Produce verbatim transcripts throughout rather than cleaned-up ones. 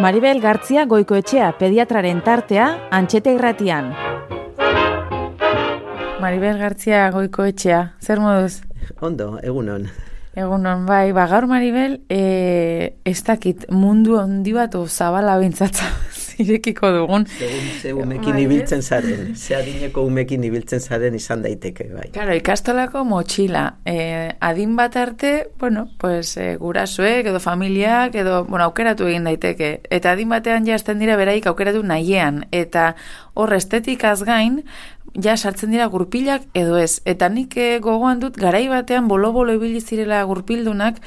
Maribel Gartzia Goikoetxea pediatraren tartea Antxete Irratian. Maribel Gartzia Goikoetxea, zer moduz? Ondo, egunon. Egunon, bai, ba, gaur Maribel, e, ez dakit mundu handi bat o zabala bintzatza zirekiko dugun. Segun, ze umekin ibiltzen zaren, ze adineko umekin ibiltzen zaren izan daiteke, bai. Claro, ikastolako motxila, e, adin bat arte, bueno, pues, e, gurasoek edo familiak edo, bueno, aukeratu egin daiteke. Eta adin batean jazten dira beraik aukeratu nahiean. Eta hor estetikaz gain, ja sartzen dira gurpilak edo ez. Eta nik gogoan dut garai batean bolo-bolo ibili zirela gurpildunak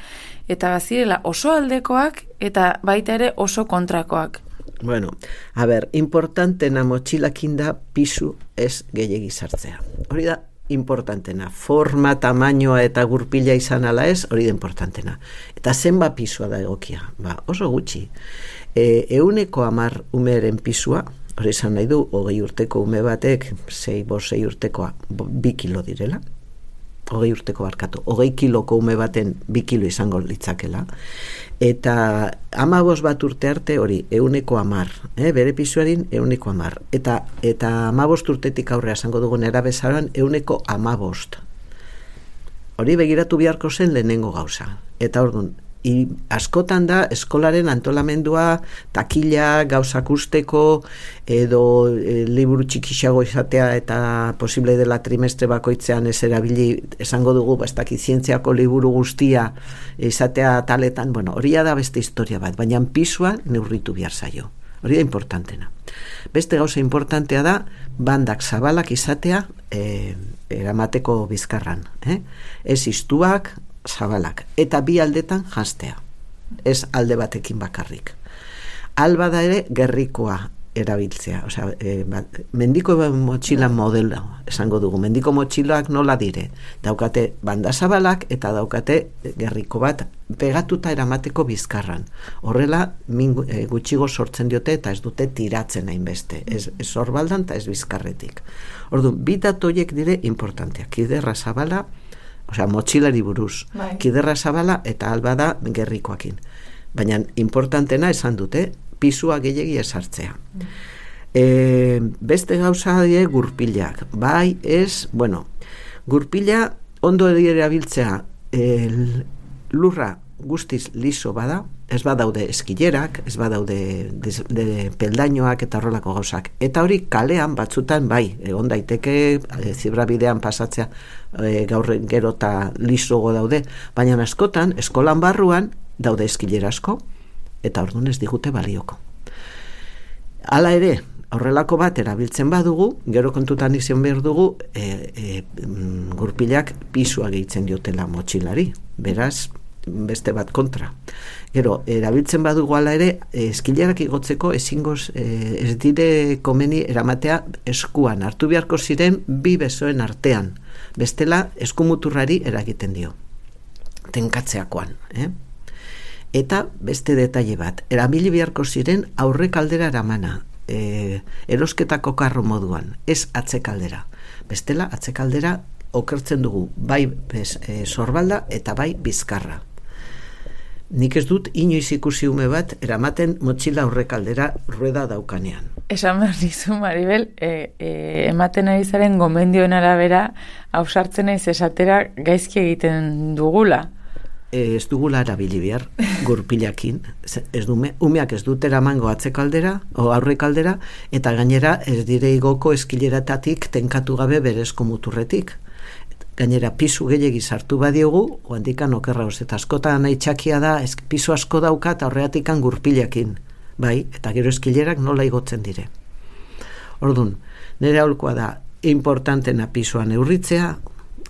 eta bazirela oso aldekoak eta baita ere oso kontrakoak. Bueno, a ber, importantena motxilakin da pisu ez gehiegi sartzea. Hori da importantena. Forma, tamainoa eta gurpila izan ala ez, hori da importantena. Eta zenba pisua da egokia? Ba, oso gutxi. E, euneko amar umeren pisua, hori izan nahi du, hogei urteko ume batek, sei, bost, sei urtekoa, bi kilo direla, hogei urteko barkatu, hogei kiloko ume baten bi kilo izango litzakela, eta hamabost bat urte arte hori, euneko amar, eh, bere pisuarin euneko amar, eta, eta hamabost urtetik aurrea esango dugun erabezaroan euneko hamabost. Hori begiratu beharko zen lehenengo gauza, eta orduan, I, askotan da eskolaren antolamendua takila gauzak usteko edo e, liburu txikixago izatea eta posible dela trimestre bakoitzean ez erabili esango dugu ez dakit zientziako liburu guztia izatea taletan, bueno, hori da beste historia bat, baina pisua neurritu behar zaio, hori da importantena. Beste gauza importantea da bandak zabalak izatea e, eramateko bizkarran, eh? Ez iztuak, zabalak, eta bi aldetan janztea, ez alde batekin bakarrik. Alba da ere gerrikoa erabiltzea, osea, e, bat, mendiko motxila modelo, esango dugu, mendiko motxiloak nola dire, daukate banda zabalak eta daukate gerriko bat pegatuta eramateko bizkarran. Horrela, min, e, gutxigo sortzen diote eta ez dute tiratzen hainbeste, ez, ez horbaldan eta ez bizkarretik. Orduan, bi datoiek dire importanteak, kiderra zabala, osea, motxilari buruz, bai. Kiderra zabala eta alba da gerrikoakin. Baina importantena esan dute, pisua gehiegi esartzea. Mm. E, beste gauza die gurpilak. Bai, ez, bueno, gurpila ondo erabiltzea el, lurra guztiz liso bada, ez badaude eskilerak, ez badaude de, de peldainoak eta horrelako gauzak. Eta hori kalean batzutan bai, egon daiteke e, zibrabidean pasatzea e, gaur gero eta lisogo daude, baina askotan eskolan barruan daude eskilera asko eta orduan ez digute balioko. Hala ere, horrelako bat erabiltzen badugu, gero kontutan izan behar dugu e, e, gurpilak pisua gehitzen diotela motxilari, beraz beste bat kontra. Gero, erabiltzen badugu ala ere, eskilerak igotzeko ezingoz, eh, ez dire komeni eramatea eskuan, hartu beharko ziren bi besoen artean. Bestela, eskumuturrari eragiten dio. Tenkatzeakoan. Eh? Eta beste detaile bat, erabili beharko ziren aurrekaldera eramana, eh, erosketako karro moduan, ez atzekaldera. Bestela, atzekaldera okertzen dugu, bai bez, e, sorbalda eta bai bizkarra. Nik ez dut inoiz ikusi ume bat eramaten motxila aurrekaldera rueda daukanean. Esan behar dizu, Maribel, e, e, ematen ari zaren gomendioen arabera hausartzen naiz esatera gaizki egiten dugula. E, ez dugula erabili behar gurpilakin. Ez dume, umeak ez dut eramango atzekaldera o aurrekaldera eta gainera ez dire igoko eskileratatik tenkatu gabe berezko muturretik. Gainera, pisu gehiagi sartu badiogu, oandikan okerra eta askotan nahi txakia da, ez, pisu asko dauka eta horreatikan gurpilakin. Bai, eta gero eskilerak nola igotzen dire. Orduan, nire aholkoa da, importantena pisua neurritzea,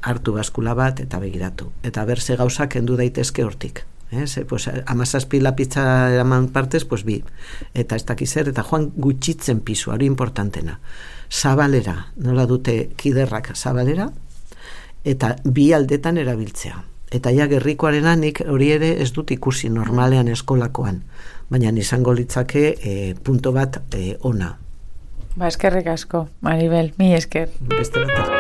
hartu baskula bat eta begiratu. Eta berze gauzak kendu daitezke hortik. Eh? Ze, pues, amazazpi lapitza eraman partez, pues bi. Eta ez dakizer, eta joan gutxitzen pisua, hori importantena. Zabalera, nola dute kiderrak zabalera, eta bi aldetan erabiltzea. Eta ja gerrikoaren anik hori ere ez dut ikusi normalean eskolakoan, baina izango litzake e, punto bat e, ona. Ba, eskerrik asko, Maribel, mi esker. Beste bat.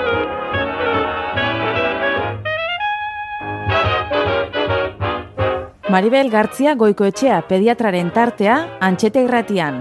Maribel Gartzia Goikoetxea pediatraren tartea Antxete Irratian.